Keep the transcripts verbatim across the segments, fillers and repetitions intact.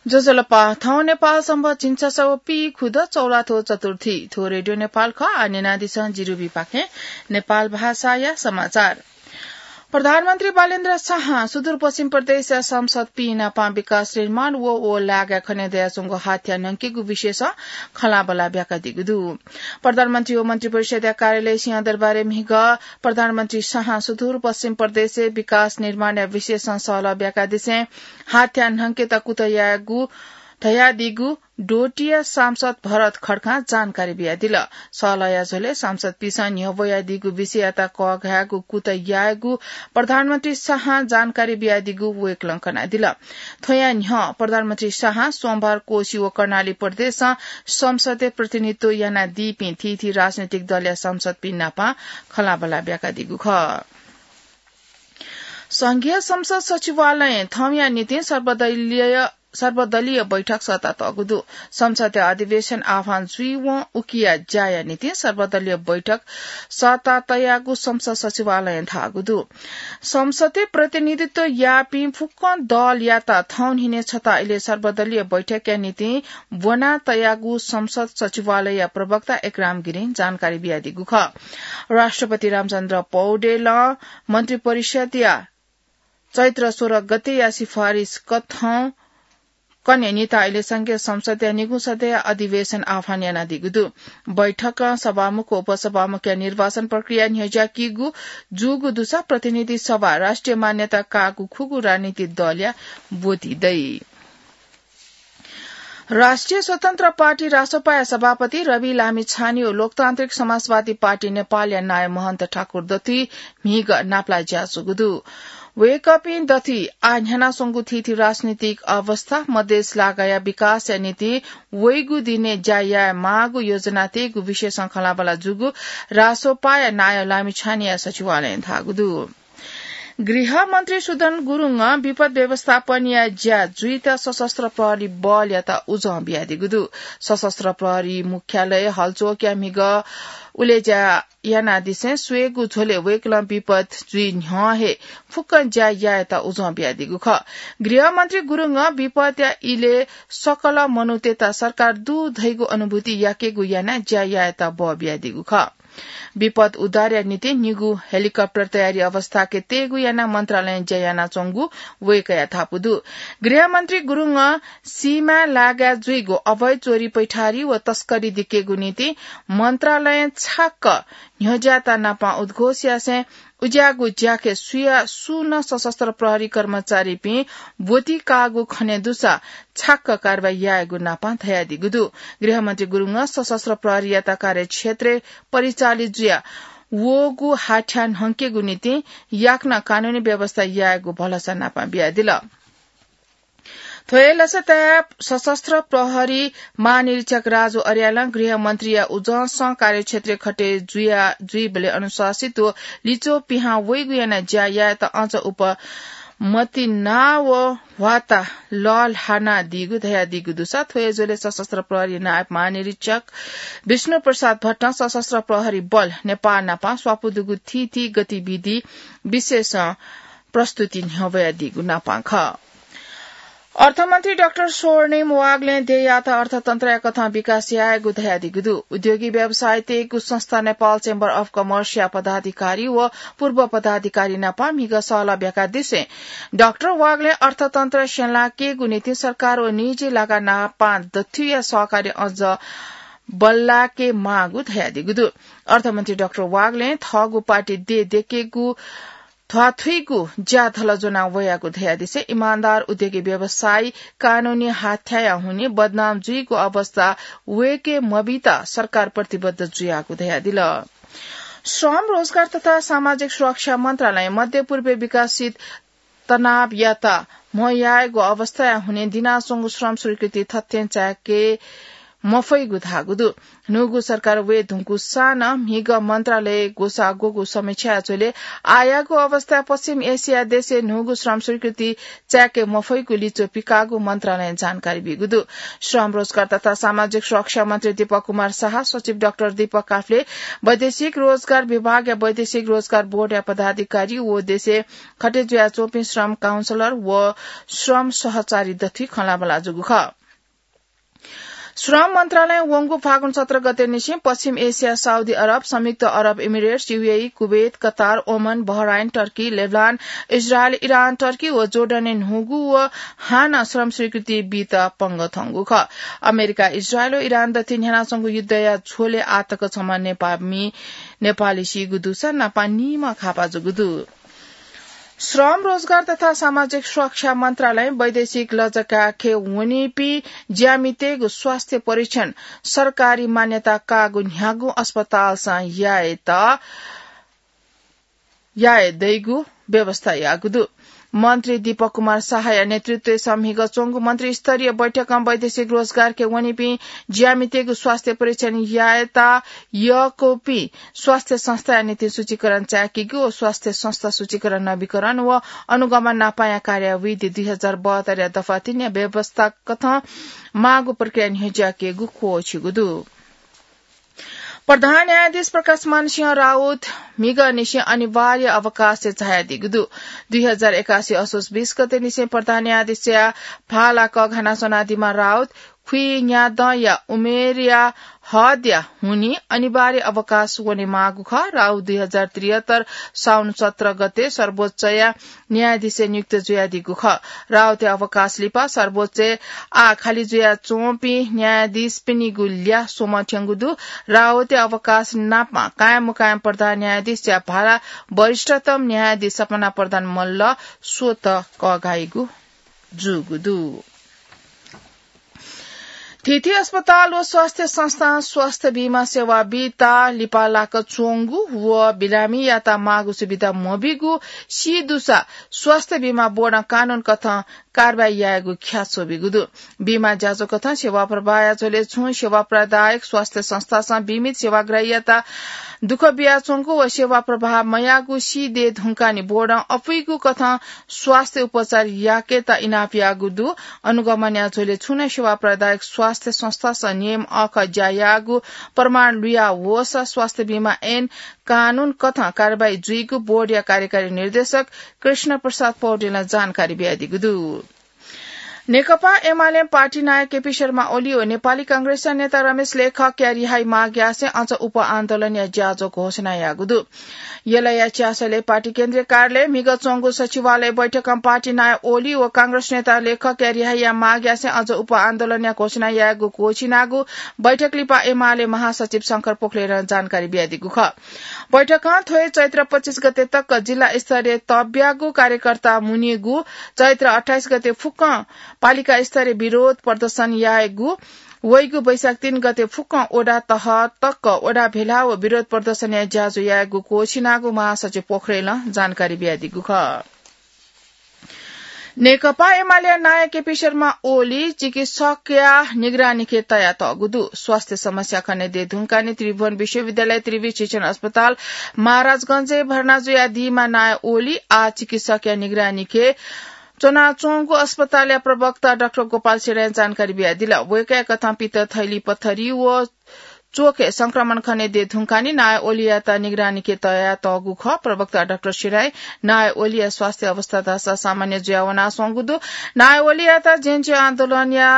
ज्वजलपा, थौं नेपाल संवत् झिंछसः व पीखुद चौलाथ्व चतुर्थी। थ्व रेडियो नेपाल खः। आः न्यनादिसँ जिरुबीपाखें नेपाल भाषाया समाचार। प्रधानमन्त्री बालेन्द्र शाहं सुदूरपश्चिम प्रदेशया सांसदपिं नापं विकास निर्माण व, व लागाय् खने दयाच्वंगु हाथ्या न्हंकेगु विषयसं खँल्हाबल्हा ब्याकादीगु दु। प्रधानमन्त्री व मन्त्रिपरिषद्या कार्यालय सिंहदरबारय् म्हिगः प्रधानमन्त्री शाहं सुदूरपश्चिम प्रदेशय् विकास निर्माणया विषयसं सहलह ब्याकादिसें हाथ्या न्हंकेत कुतः यायेगु धयादीगु डोटीया सांसद भरत खड्कां जानकारी बियादिल। सहलहया झ्वलय् सांसदपिंसं न्ह्यः वयादीगु विषययात कःघायेगु कुतः यायेगु प्रधानमन्त्री शाहं जानकारी बियादीगु वय्कलं कनादिल। थ्वया न्ह्यः प्रधानमन्त्री शाहं सोमबार कोशी व कर्णाली प्रदेशं संसदय् प्रतिनिधित्व यानादीपिं थीथी राजनैतिक दलया सांसदपिं नापं खँल्हाबल्हा ब्याकादीगु खः। संघीय संसद सचिवालयं थौंया निंतिं सर्वदलीय, सर्वदलीय बैठक सःता तःगु दु। संसदया अधिवेशन आह्वान जुइवं उकिया ज्याया निंतिं सर्वदलीय बैठक सःता तयागु संसद सचिवालयं धाःगु दु। संसदय् प्रतिनिधित्व याःपिं फुक्कं दलयात थौंन्हिने छता इलय् सर्वदलीय बैठकया निंतिं ब्वना तयागु संसद सचिवालयया प्रवक्ता एकराम गिरिं जानकारी बियादीगु खः। राष्ट्रपति रामचन्द्र पौडेलं मन्त्रिपरिषदया चैत्र सोह्र गतेया सिफारिस कथं कन्हय् निता इलय् संघीय संसदया निगू सदय्या अधिवेशन आह्वान यानादीगु दु। बैठकं सभामुख व उपसभामुखया निर्वाचन प्रक्रिया न्ह्यज्याकीगु जूगु दुसा प्रतिनिधि सभा राष्ट्रिय मान्यता काःगु खुगू राजनीतिक दलया ब्वति दइ। राष्ट्रिय स्वतन्त्र पार्टी रासोपाया सभापति रवि लामिछाने व लोकतान्त्रिक समाजवादी पार्टी नेपालया नायः महन्त ठाकुर दथुइ म्हिगः नापलाये ज्याझ्वःगु दु। वय्कःपिं दथुइ आः न्ह्यानाच्वंगु थीथी राजनीतिक अवस्था, मधेस लागाया विकासया निंतिं वइगु दिनय् ज्या याये माःगु योजना तयेगु विषयसं खँल्हाबल्हा जूगु रासोपाया नायः लामिछानेया सचिवालयं धाःगु दु। गृहमन्त्री सुदन गुरुङं विपद व्यवस्थापनया ज्या जुइत सशस्त्र प्रहरी बलयात उजं बियादीगु दु। सशस्त्र प्रहरी मुख्यालय हलचोकया म्हिगः उलेज्या यानादिसें स्वयेगु झ्वलय् वय्कलं विपद जुइ न्ह्यः हे फुक्कं ज्या यायेत उजं बियादीगु खः। गृहमन्त्री गुरुङं विपदया इलय् सकल मनूतय्त सरकार दु धइगु अनुभूति याकेगु यानाः ज्या यायेत बः बियादीगु खः। विपद उद्धारया निंतिं निगू हेलिकप्टर तयारी अवस्थाके तयेगु यानाः मन्त्रालयं ज्या यानाच्वंगु वय्कःया धापू दु। गृहमन्त्री गुरुङं सीमाय् लागाय् जुइगु अवैध चोरी पैठारी व तस्करी दिकेगु निंतिं मन्त्रालयं छाक्क न्ह्यज्याःत नापं उद्घोष यासें उज्याःगु ज्याखँय् सुया सुं नं सशस्त्र प्रहरी कर्मचारीपिं ब्वति काःगु खने दुसा छाक्क कारवाही यायेगु नापं धयादीगु दु। गृहमन्त्री गुरुङं सशस्त्र प्रहरीयात कार्यक्षेत्रय् परिचालित जुया वःगु हाथ्या न्हंकेगु निंतिं याकनं कानूनी व्यवस्था यायेगु भलसा नापं बियादिल। थ्व हे लसताय् सशस्त्र प्रहरी महानिरीक्षक राजु अर्यालं गृहमन्त्रीया उजंसं कार्यक्षेत्रय् खटे जुया, जुइबलय् अनुशासित व लिच्वः पिहां वइगु यानाः ज्या यायेत अझ उप मतिना व ह्वाता लःल्हानादीगु धयादीगु दुसा थ्व हे झ्वलय् सशस्त्र प्रहरी नायब महानिरीक्षक विष्णु प्रसाद भट्टं सशस्त्र प्रहरी बल नेपाः नापं स्वापू दुगु थीथी गतिविधि विशेषं प्रस्तुति न्ह्यब्वयादीगु नापं खः। अर्थमन्त्री डाक्टर स्वर्णिम वाग्लें देय्‌यात अर्थतन्त्रया कथं विकास यायेगु धयादीगु दु। उद्योगी व्यवसायीतय्‌गु संस्था नेपाल चेम्बर अफ कमर्सया पदाधिकारी व पूर्व पदाधिकारी नापं म्हिगः सहलह ब्याकादिसें डाक्टर वाग्लें अर्थतन्त्र स्यंलाकेगु निंतिं सरकार व निजी लागा नापं दथुइया सहकार्य अझ बल्लाके माःगु धयादीगु दु। अर्थमन्त्री डाक्टर वाग्लें थःगु पार्टी देय् दयेकेगु ध्वाथुइगु ज्या धलज्वना वयागु धयादिसें इमान्दार उद्योगी व्यवसायी कानूनी हाथ्याया हुनिं बदनाम जुइगु अवस्था वय्‌के मबीत सरकार प्रतिबद्ध जुयागु धयादिल। श्रम, रोजगार तथा सामाजिक सुरक्षा मन्त्रालयं मध्यपूर्वय् विकसित तनावयात म्ह यायेगु अवस्थाया हुनिं दिनाच्वंगु श्रम स्वीकृति थथें चाय्‌के मफइगु धाःगु दु। न्हूगु सरकार वये धुंकूसां नं म्हिगः मन्त्रालय ग्वसाः ग्वःगु समीक्षाया झ्वलय् आःयागु अवस्थाय् पश्चिम एसिया देशय् न्हूगु श्रम स्वीकृति चाय्के मफइगु लिच्वः पिकाःगु मन्त्रालयं जानकारी बीगु दु। श्रम, रोजगार तथा सामाजिक सुरक्षा मन्त्री दीपक कुमार साह, सचिव डाक्टर दीपक काफ्ले, वैदेशिक रोजगार विभागया वैदेशिक रोजगार बोर्डया पदाधिकारी व देशय् खटे जुयाच्वंपिं श्रम काउन्सलर व श्रम सहचारी दथुइ खँल्हाबल्हा जूगु खः। श्रम मन्त्रालयं वंगु फागुन सत्र गते निसें पश्चिम एसिया, साउदी अरब, संयुक्त अरब इमिरेट्स, यूएई, कुवेत, कतार, ओमन, Bahrain, Turkey, Lebanon, Israel, Iran, Turkey व जोर्डनय् न्हूगु व हानं श्रम स्वीकृति बीत पंगः थंगु खः। अमेरिका, इजरायल व इरान दथुइ न्ह्यानाच्वंगु युद्धया झ्वलय् आःतक छम्ह नेपाःमि, नेपाली सीगु दुसा नापं नीम्ह घाःपाः जूगु दु। श्रम, रोजगार तथा सामाजिक सुरक्षा मन्त्रालयं वैदेशिक लजगाखे वनीपिं ज्यामितय्गु स्वास्थ्य परीक्षण सरकारी मान्यता काःगु न्ह्यागु अस्पतालसं यायेत, याये दइगु व्यवस्था याःगु दु। मन्त्री दीपक कुमार साहया नेतृत्वय् सम्हिगः च्वंगु मन्त्री स्तरीय बैठकं वैदेशिक रोजगारखे वनीपिं ज्यामितय्गु स्वास्थ्य परीक्षण यायेत यःकूपिं स्वास्थ्य संस्थाया निंतिं सूचीकरण चाय्केगु व स्वास्थ्य संस्था सूचीकरण नवीकरण व अनुगमन नापांया कार्यावधि दुई हजार बहत्तरया दफा तीनया व्यवस्था कथं माःगु प्रक्रिया न्ह्यज्याकेगु क्वःछिगु दु। प्रधान न्यायाधीश प्रकाशमान सिंह राउत म्हिगःनिसें अनिवार्य अवकाशय् झायादीगु दु। दुई हजार एकासी असोज बीस गते निसें प्रधान न्यायाधीशया भाला कःघाना च्वनादीम्ह राउत खुइन्यादँया उमेरया हदया हुनिं अनिवार्य अवकाश वनेमाःगु खः। राउत दुई हजार त्रिहत्तर साउन सत्र गते सर्वोच्चया न्यायाधीशय् नियुक्त जुयादीगु खः। राउतया अवकाश लिपा सर्वोच्चय् आः खालि जुयाच्वंपिं न्यायाधीशपिनिगु ल्याः स्वम्ह थ्यंगु दु। राउतया अवकाश नापं कायम मुकायम प्रधान न्यायाधीशया भाला वरिष्ठतम न्यायाधीश सपना प्रधान मल्ल स्वतः कःघाइगु जूगु दु। थीथी अस्पताल व स्वास्थ्य संस्थां स्वास्थ्य बीमा सेवा बीत लिपा लाक च्वंगु व बिरामीयात माःगु सुविधा मबीगु सी दुसा स्वास्थ्य बीमा बोर्डं कानून कथं कारवाही यायेगु ख्याच्वः बीगु दु। बीमा ज्याझ्वः कथं सेवा प्रवाहया झ्वलय् छुं सेवा प्रदायक स्वास्थ्य संस्थासं बीमित सेवाग्राहीयात दुःख बियाच्वंगु व सेवा प्रवाह मयाःगु सी दये धुंकाः नि बोर्डं अपुइगु कथं स्वास्थ्य उपचार याकेत इनाप याःगु दु। अनुगमनया झ्वलय् छुं नं सेवा प्रदायक स्वास्थ्य संस्थासं नियम अःखः ज्या याःगु प्रमाण लुया वःसा स्वास्थ्य बीमा ऐन कानून कथं कारवाही जुइगु बोर्डया कार्यकारी निर्देशक कृष्ण प्रसाद पौडेलं जानकारी बियादीगु दु। नेकपा एमाले पार्टी नायः केपी शर्मा ओली व नेपाली कांग्रेसया नेता रमेश लेखकया रिहाई माग यासें अझ उप आन्दोलनया ज्याझ्वः घोषणा याःगु दु। यलया च्यासलय् पार्टी केन्द्रीय कार्यालयय् म्हिगः च्वंगु सचिवालय बैठकं पार्टी नायः ओली व कांग्रेस नेता लेखकया रिहाईया माग यासें अझ उप आन्दोलनया घोषणा यायेगु क्वःछिनागु बैठक लिपा एमाले महासचिव शंकर पोखरेलं जानकारी बियादीगु खः। बैठकं थ्व हे चैत्र पच्चिस गते तक जिल्ला स्तरीय तब्यागु कार्यकर्ता मुनेगु, चैत्र अट्ठाइस गते फुक्कं पालिका स्तरीय विरोध प्रदर्शन यायेगु, वइगु वैशाख तीन गते फुक्कं वडा तह तक वडा भेला व विरोध प्रदर्शनया ज्याझ्वः यायेगु क्वःछिनागु महासचिव पोखरेलं जानकारी बियादीगु खः। नेकपा एमालेया नायः केपी शर्मा ओली चिकित्सकया निगरानीखे तयातःगु दु। स्वास्थ्य समस्या खनेदये धुंकाः नि त्रिभुवन विश्वविद्यालय त्रिवि शिक्षण अस्पताल महाराजगंजय् भर्ना जुयादीम्ह नायः ओली आः चिकित्सकया निगरानीखे च्वनाच्वंगु अस्पतालया प्रवक्ता डाक्टर गोपाल सिडाय् जानकारी बियादिल। वय्कःया कथं पित्त थैली पथरी व चोखय् संक्रमण खनेदये धुंकाः नि नायः ओलीयात निगरानीखे तयातःगु खः। प्रवक्ता डाक्टर सिडाय् नायः ओलीया स्वास्थ्य अवस्था धाःसा सामान्य जुयावनाच्वंगु दु। नायः ओलीयात ज्येंज्यू आन्दोलनया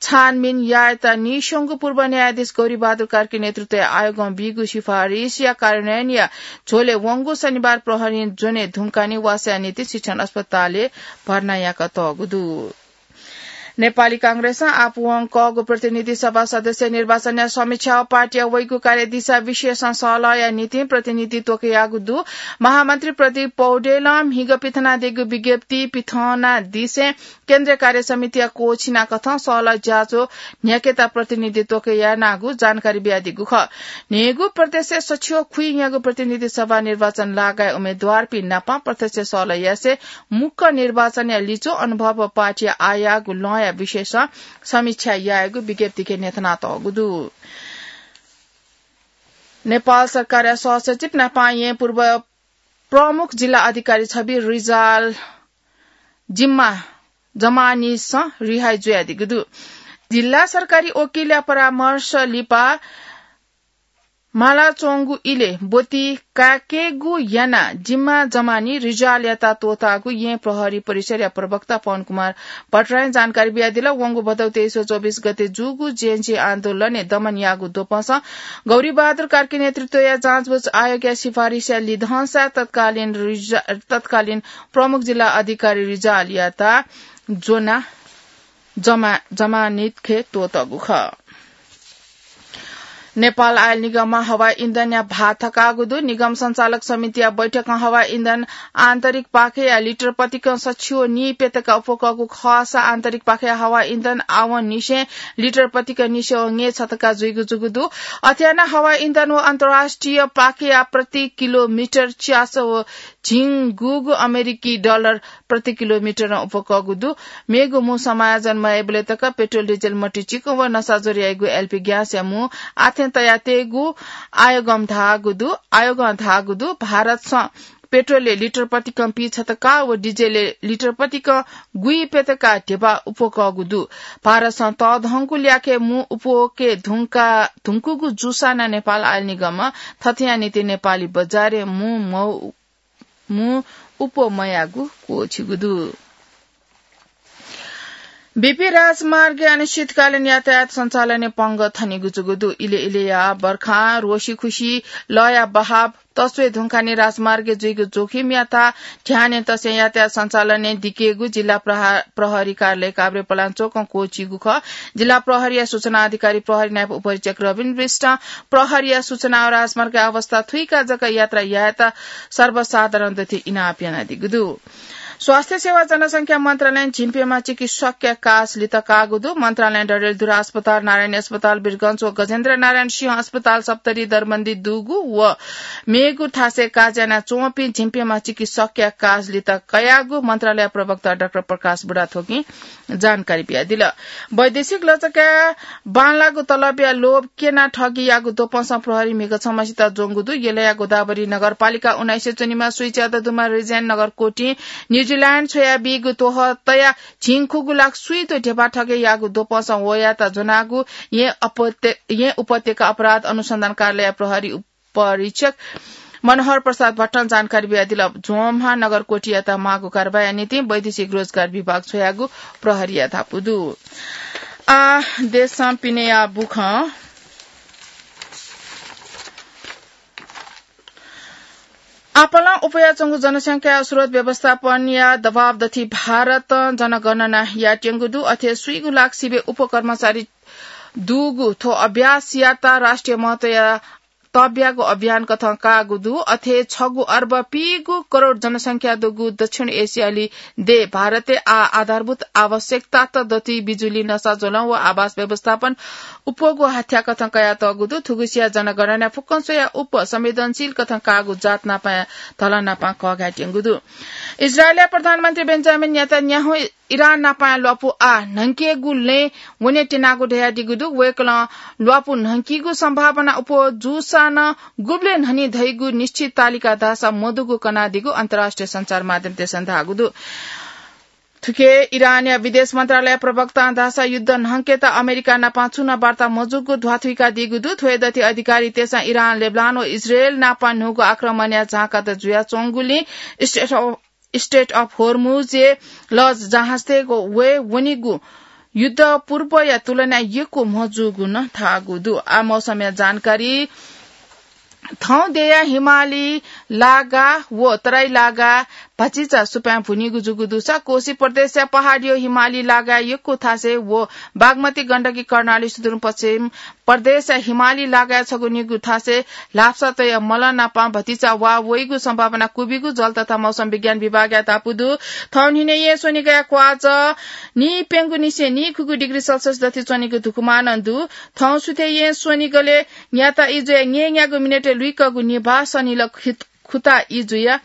छानबिन यायेत नीस्वंगु पूर्व न्यायाधीश गौरीबहादुर कार्की नेतृत्वया आयोगं बीगु सिफारिसया कार्यान्वयनया झ्वलय् वंगु शनिबार प्रहरीं ज्वने धुंकाः नि वासःया निंतिं शिक्षण अस्पतालय् भर्ना याकातःगु दु। नेपाली कांग्रेसं आपालं कःगु प्रतिनिधि सभा सदस्य निर्वाचनया समीक्षा व पार्टीया वइगु कार्यदिशा विषयसं सहलहया निंतिं प्रतिनिधि त्वकयागु दु। महामन्त्री प्रदीप पौडेलं म्हिगः पिथनादीगु विज्ञप्ति पिथनादिसें केन्द्रीय कार्य समितिया कोछिना कथं सहलह ज्याझ्वः न्ह्याकेत प्रतिनिधित्व यानागु जानकारी बियादीगु खः। न्हय्गू प्रदेशय् सछियो खुइन्यागू प्रतिनिधि सभा निर्वाचन लागाय् उम्मेद्वारपिं नाप प्रत्यक्ष सहलह यासें मुक्क निर्वाचनया लिच्वः अनुभव पार्टीया आःयागु लँया विषयसं समीक्षा यायेगु विज्ञप्तिके न्ह्यथनातःगु दु। नेपाल सरकारया सहसचिव नाप येँ पूर्व प्रमुख जिल्ला अधिकारी छवि रिजाल जिम्मा जमानीसं रिहाई जुयादीगु दु। जिल्ला सरकारी वकिलया परामर्श लिपा मालाच्वंगु इलय् ब्वति कायेकेगु यानाः जिम्मा जमानी रिजालयात त्वःताःगु येँ प्रहरी परिसरया प्रवक्ता पवन कुमार भट्टराईं जानकारी बियादिल। वंगु भदौ तेइस व चौबिस गते जूगु जेएनजी आन्दोलनय् दमन याःगु द्वपंसं गौरीबहादुर कार्की नेतृत्वया जाँचबुझ आयोगया सिफारिसया लिधंसा तत्कालीन रिजा-, तत्कालीन प्रमुख जिल्ला अधिकारी रिजालयात ज्वना जमा-, जमानतखे त्वःतःगु खः। नेपाल आयल निगमं हवाई इन्धनया भाः थकाःगु दु। निगम सञ्चालक समितिया बैठकं हवाई इन्धन आन्तरिक पाखेया लिटर प्रतिकं सछि व नीप्यतका उप्वकःगु खःसा आन्तरिक पाखेया हवाई इन्धन आवंनिसें लिटर प्रतिकं निसें व ङे छतका जुइगु जूगु दु। अथे यानाः हवाई इन्धन व अन्तर्राष्ट्रिय पाखेया प्रति किलोमिटर च्यास व झिंगुगु अमेरिकी डलर प्रति किलोमिटरं उप्वकःगु दु। मेगु मू समायोजन मयाइबलय् तक पेट्रोल, डिजेल, मट्टी चिकं व नसाज्वर याइगु एलपी ग्यासया मू आथें तयातयेगु आयोगं धाःगु दु। आयोगं धाःगु दु, भारतसं पेट्रोलय् लिटर प्रतिकं पीछतका व डिजेलय् लिटर प्रतिकं गुइप्यतका ध्यबा उप्वकःगु दु। भारतसं तःधंगु ल्याखय् मू उप्वके धुंका, धुंकूगु जूसां नं नेपाल आयल निगमं थथेया निंतिं नेपाली बजारय् मू मौ मू उप्वः मयाःगु क्वःछिगु दु। बीपी राजमार्गय् अनिश्चितकालीन यातायात सञ्चालनय् पंगः थनेगु जूगु दु। इले इलेया बर्खां रोसी खुसी लःया बहाव तस्वये धुंकाः नं राजमार्गय् जुइगु जोखिमयात ध्यानय् तसें यातायात सञ्चालनय् दिकेगु जिल्ला प्रहा-, प्रहरी कार्यालय काभ्रेपलाञ्चोकं क्वःछिगु खः। जिल्ला प्रहरीया सूचना अधिकारी प्रहरी नायब उपरीक्षक रविन्द्र विष्टं प्रहरीया सूचना व राजमार्गया अवस्था थुइकाः जक यात्रा यायेत सर्वसाधारण दथुइ इनाप यानादीगु दु। स्वास्थ्य सेवा जनसंख्या मन्त्रालयं झिंप्यम्ह चिकित्सकया कास लित काःगु दु। मन्त्रालयं डडेलधुरा अस्पताल, नारायणी अस्पताल, वीरगंज व गजेन्द्र नारायण सिंह अस्पताल, सप्तरी दरबन्दी दुगु व मेगु थासय् काज यानाच्वंपिं झिंप्यम्ह चिकित्सकया कास लित कयागु मन्त्रालय प्रवक्ता डाक्टर प्रकाश बुढाथोकीं जानकारी बियादिल। वैदेशिक लचकया बांलाःगु तलबया लोभ क्यनाः ठगीयाःगु द्वपंसं प्रहरीं म्हिगः छम्हसित ज्वंगु दु। यलया गोदावरी नगरपालिका उन्नाइसय् च्वनीम्ह सुइच्यादँ दुम्ह रिजेन नगरकोटिं न्युजिल्याण्ड छ्वयाबीगु त्वहः तयाः झिंखुगू लाख स्वीदँ ध्यबा ठगय् याःगु द्वपंसं वयात ज्वनागु येँ अपत्य-, येँ उपत्यका अपराध अनुसन्धान कार्यालय प्रहरी उपरीक्षक मनोहर प्रसाद भट्टं जानकारी बियादिल। झ्वंम्ह नगरकोटियात माःगु कारवाहीया निंतिं वैदेशिक रोजगार विभाग छ्वयागु प्रहरीया धापू दु। आः देशं पिनेया बुखँ। आपालं उप्वयाच्वंगु जनसंख्या स्रोत व्यवस्थापनया दबाव दथुइ भारतं जनगणना यायेत्यंगु दु। अथे स्वीगू लाख सिबें उप्वः कर्मचारी दुगु थ्व अभ्यासयात राष्ट्रिय महत्वया तब्यागु अभियान कथं काःगु दु। अथे छगू अर्ब पीगू करोड जनसंख्या दुगु दक्षिण एसियाली देय् भारतय् आः आधारभूत आवश्यकतात दथुइ बिजुली, नसाज्वलं व आवास व्यवस्थापन उप्वःगु हाथ्या कथं कयातःगु दु। थुगुसिया जनगणना फुक्कं स्वयाः उप्वः संवेदनशील कथं काःगु जात नापं धलन नापं कःघायेत्यंगु दु। इजरायलया प्रधानमन्त्री बेन्जामिन नेतन्याहु इरान नापं ल्वापु आः न्हंकेगु लँय् वने त्यनागु धयादीगु दु। वय्कलं ल्वापु न्हंकीगु सम्भावना उप्वः जूसां नं गुबलें न्हनी धइगु निश्चित तालिका धाःसा मदुगु कनादीगु अन्तर्राष्ट्रिय सञ्चार माध्यमतय्सं धाःगु दु। थुके इरानया विदेश मन्त्रालय प्रवक्तां धाःसा युद्ध न्हंकेत अमेरिका नापं छुं नं वार्ता मजूगु ध्वाथुइकादीगु दु। थ्व हे दथुइ अधिकारीतय्सं इरान, लेबनान व इजरायल नापं न्हूगु आक्रमणया झाँकात जुयाच्वंगुलिं Strait of Strait of Hormuz-य् लज जहाजतय्गु वये वनीगु युद्ध पूर्वया तुलनाय् यक्व मजूगु नं धाःगु दु। आः मौसमया जानकारी। थौं देय्या हिमाली लागा व तराई लागा भतिचा सुपाँय् भुनीगु जूगु दुसा कोशी प्रदेशया पहाडीयो हिमाली लागाय् यक्व थासय् व बागमती गण्डकी कर्णाली सुदूरपश्चिम प्रदेशया हिमाली लागाय् छगू निगू थासय् ल्हापसा तया मल नापं भतिचा वा वइगु सम्भावना क्वबिगु जल तथा मौसम विज्ञान विभागया धापू दु। थौंन्हिने येँ स्वनिगया क्वाच नीप्यंगू निसें नीखुगू डिग्री सेल्सियस दथि च्वनीगु धुकुमानं दु। थौं सुथय् येँ स्वनिगलय् न्याता इजुया न्येन्यागू मिनेटय् लुइकःगु निभाः सनिल खुत खुता इजुया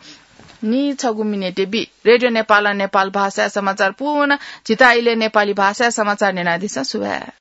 नीछगू मिनेटय् बी। रेडियो नेपालं नेपाल भाषाया समाचार पूवना। झीत इलय् नेपाली भाषाया समाचार न्यनादिसँ। सुभाय्।